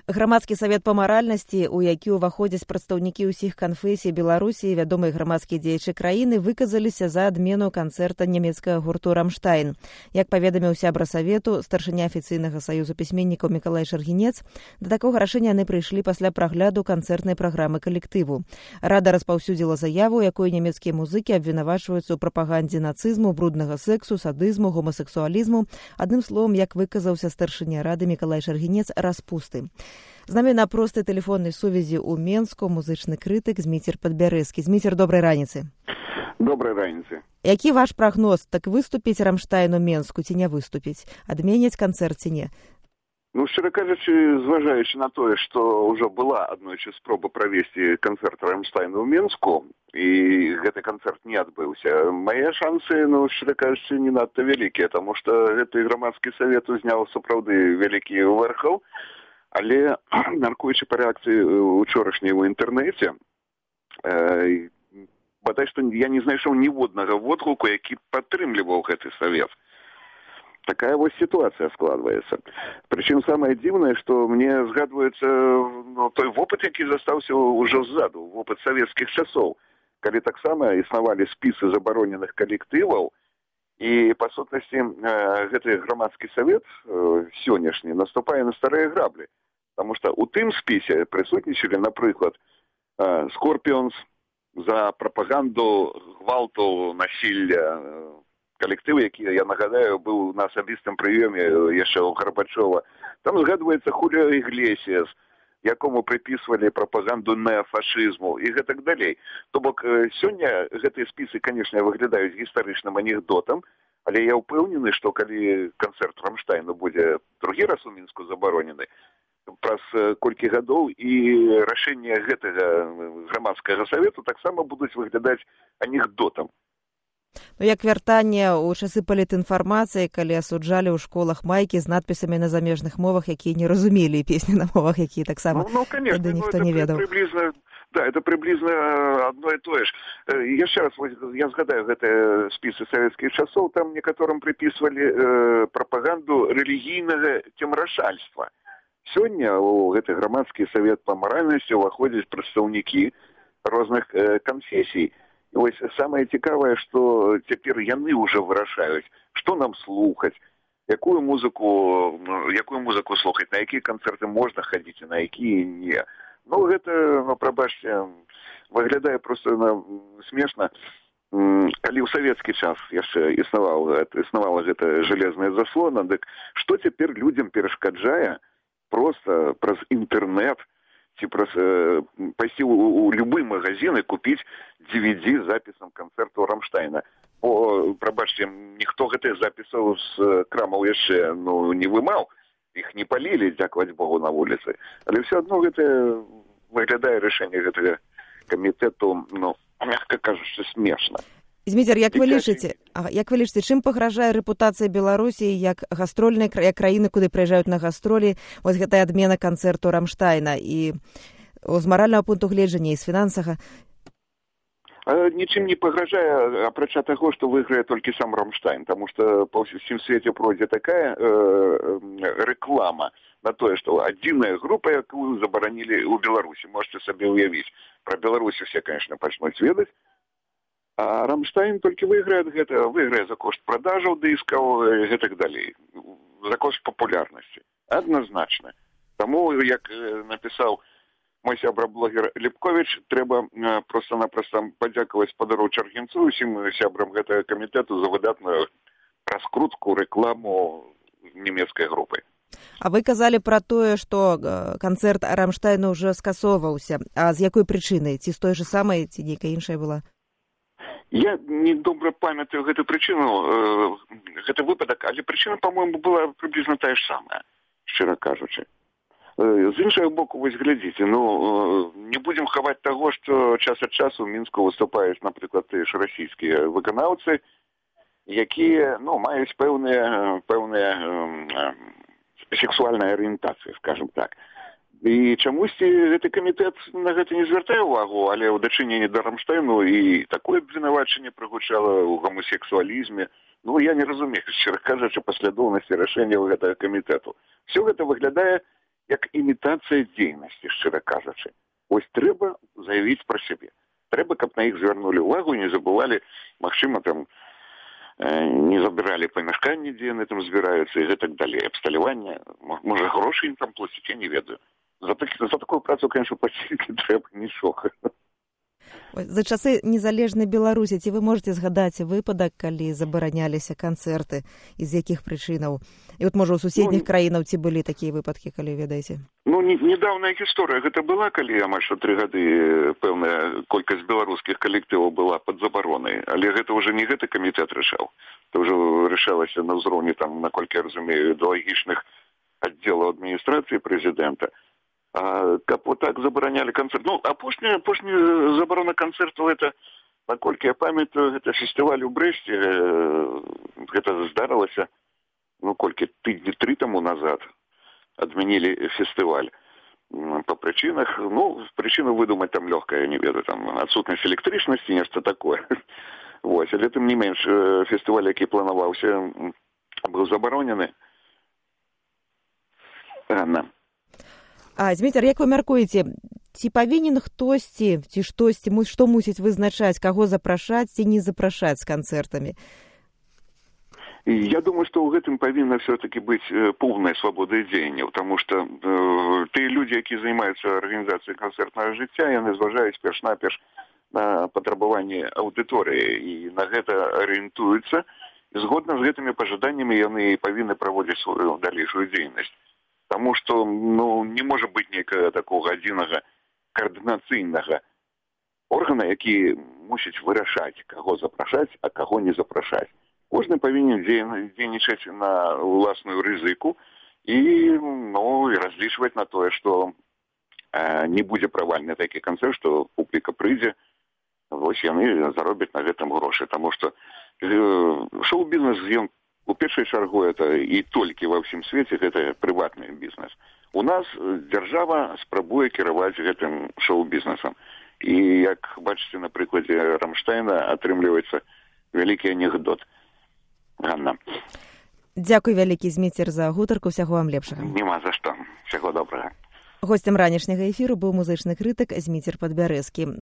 Грамадскі савет па маральнасці, у які ўваходзяць прадстаўнікі ўсіх канфесій Беларусі і вядомыя грамадскія дзеячы краіны, выказаліся за адмену канцэрта нямецкага гурту «Рамштайн». Як паведаміў сябра савету, старшыня афіцыйнага саюзу пісьменнікаў Мікалай Шаргінец, да такога рашэння яны прыйшлі пасля прагляду канцэртнай праграмы калектыву. Рада распаўсюдзіла заяву, якой нямецкія музыкі абвінавачваюцца ў прапагандзе нацызму, бруднага сексу, садызму, гомасексуалізму. Адным словам, як выказаўся старшыня рады Мікалай Шаргінец, распусты. З намі на простай тэлефоннай сувязі ў Менску музычны крытык Зміцер Падбярэзкі. Зміцер, добрай раніцы. Добрай раніцы. Які ваш прагноз? Так выступіць «Рамштайн» у Менску ці не выступіць? Адменяць канцэрт ці не? Ну, шчыра кажучы, зважаючы на тое, што ўжо была аднойчы спроба правесці канцэрт «Рамштайна» ў Менску, і гэты канцэрт не адбыўся, мае шансы, ну, шчыра кажучы, не надта вялікія, таму што гэты грамадскі савет узняў сапраўды вялікі вэрхал, але, мяркуючы па рэакцыі учорашняй у інтэрнэце, бадай што я не знайшоў ніводнага водгуку, які падтрымліваў гэты савет. Такая вось сітуацыя складваецца. Прычым самае дзіўнае, што мне згадваецца той вопыт, які застаўся ўжо ззаду, вопыт савецкіх часоў, калі таксама існавалі спісы забароненых калектываў, і, па сутнасці, гэты грамадскі савет сённяшні наступае на старыя граблі. Таму што ў тым спісе прысутнічалі, напрыклад, «Скорпіонс» за прапаганду гвалту, насілля, калектыў, які, я нагадаю, быў на асабістым прыёме яшчэ ў Гарбачова. Там згадваецца Хуліо Іглесіас, якому прыпісвалі прапаганду неафашызму і гэтак далей. То бок, сёння гэтыя спісы, канешне, выглядаюць гістарычным анекдотам, але я ўпэўнены, што калі канцэрт «Рамштайну» будзе другі раз у Мінску забаронены, праз колькі гадоў і рашэнне гэтага грамадскага савету таксама будуць выглядаць анекдотам. Ну, як вяртанне ў часы палітінфармацыі, калі асуджалі ў школах майкі з надпісамі на замежных мовах, якія не разумелі, і песні на мовах, якія таксама тады ніхто не ведаў. Да, это приблизно одно и то же. Яшчэ раз, я згадаю гэтыя спісы савецкіх часоў, там некаторым припісвалі прапаганду рэлігійнага цемрашальства. Сёння у гэты грамадскі савет па маральнасці ўваходзяць прадстаўнікі розных канфесій. І вось самае цікавае, што цяпер яны ўжо вырашаюць, што нам слухаць, якую музыку слухаць, на якія канцэрты можна хадзіць, а на якія не. Ну, гэта, прабачце, выглядае проста смешна. Калі ў савецкі час яшчэ існавала гэта жалезная заслона, дык што цяпер людзям перашкаджае проста праз інтэрнэт ці пайсці ў любы магазин і купіць DVD з запісам канцэрту «Рамштайна». Бо, прабачце, ніхто гэтых запісаў з крамаў яшчэ не вымаў, іх не палілі, дзякаваць Богу, на вуліцы. Але ўсё адно гэта выглядае рашэнне гэтага камітэту, мякка кажучы, смешна. Зміцер, як вы лічыце, чым пагражае рэпутацыя Беларусі як гастрольнай краіны, куды прыязджаюць на гастролі, вось гэтая адмена канцэрту «Рамштайна» і з маральнага пункту гледжання, і з фінансавага? Нічым не пагражае, апрача таго, што выйграе толькі сам «Рамштайн», таму што па ўсім свеце пройдзе такая рэклама на тое, што адзіная група, якую забаранілі ў Беларусі. Можете сабе ўявіць. Пра Беларусі все, конечно, пачнуць ведаць. А «Рамштайн» толькі выйграе за кошт продажаў дыскаў і гэтак далей, за кошт папулярнасці. Адназначна. Таму, як напісаў мой сябра-блогер Ліпковіч, трэба проста-напроста падзякаваць спадару Чаргінцу, усім сябрам гэтага камітэту за выдатную раскрутку, рэкламу нямецкай групы. А вы казалі пра тое, што канцэрт «Рамштайну» ўжо скасоўваўся. А з якой прычыны? Ці з той жа самай, ці нейкая іншая была? Я не добра памятаю гэту прычыну, гэты выпадак, але прычына, па-мойму, была прыблізна тая ж самая, шчыра кажучы. З іншага боку, вось глядзіце, не будзем хаваць таго, што час ад часу ў Мінску выступаюць, напрыклад, тыя ж расійскія выканаўцы, якія, маюць пэўныя сексуальныя арыентацыі, скажем так. І чамусьці гэты камітэт на гэта не звяртае ўвагу, але ў дачыненні да «Рамштайну» і такое абвінавачанне прагучала ў гомасексуалізме. Я не разумею, шчыра кажучы, паслядоўнасці рашэнняў гэтага камітэту. Все гэта выглядае як імітацыя дзейнасці, шчыра кажучы. Вось трэба заявіць пра сябе. Трэба, каб на іх звярнулі ўвагу, не забывалі, магчыма, там не забіралі памяшканні, дзе яны там збіраюцца і гэтак далей. Абсталяванне, можа, грошы ім там плаціць, я не ведаю. За такую працу, конечно, плаціць не трэба нічога. За часы незалежнай Беларусі ці вы можаце згадаць выпадак, калі забараняліся канцэрты і з якіх прычынаў? І от, можа, у суседніх краінаў ці былі такія выпадкі, калі ведаеце? Недаўняя гісторыя гэта была, калі амаль што 3 гады пэўная колькасць беларускіх калектываў была пад забаронай, але гэта ўжо не гэты камітэт рашаў. Это ўжо рашалася на ўзроўні, там, наколькі я разумею, ідэалагічных аддзелаў адміністрацыі прэзідэнта. Каб вот так забаранялі канцэрт. Ну, апошняя забарона канцэрту, это, наколькі я памятаю, гэта фестываль у Брэсце, гэта здарылася, ну, колькі тыдні 3 таму назад адмянілі фестываль по прычынах. Ну, прычыну выдумаць там лёгка, я не ведаю, там адсутнасць электрычнасці, нешта такое. Вось, але тым не менш, фестываль, які планаваўся, быў забаронены. Зміцер, як вы мяркуеце, ці павінен хтосьці, ці штосьці, што мусіць вызначаць, каго запрашаць ці не запрашаць з канцэртамі? Я думаю, што ў гэтым павінна все-таки быць поўная свабода дзеянняў, таму што тыя людзі, якія займаюцца арганізацыяй канцэртнага жыцця, яны зважаюць перш-наперш на патрабаванні аўдыторыі і на гэта арыентуюцца. І згодна з гэтымі пажаданнямі яны павінны праводзіць сваю далейшую дзейнасць. Таму што, ну, не можа быць нейкага такога адзінага каардынацыйнага органа, які мусіць вырашаць, каго запрашаць, а каго не запрашаць. Кожны павінен дзейнічаць на ўласную рызыку і, ну, і разлічваць на тое, што не будзе правальны такі канцэрт, што публіка прыйдзе, вось яны заробяць на гэтым грошы. Таму што шоу-бізнес, ён у першай чаргу это і толькі ва ўсім свеце гэта прыватны бізнес. У нас дзяржава спрабуе кіраваць гэтым шоу-бізнесам. І, як бачыце, на прыкладзе Рамштайна атрымліваецца вялікі анекдот. Ганна. Дзякуй вялікі, Зміцер, за гутарку. Усяго вам лепшага. Нема за што. Усяго добрага. Госцем ранішняга эфіру быў музычны крытык Зміцер Падбярэзкі.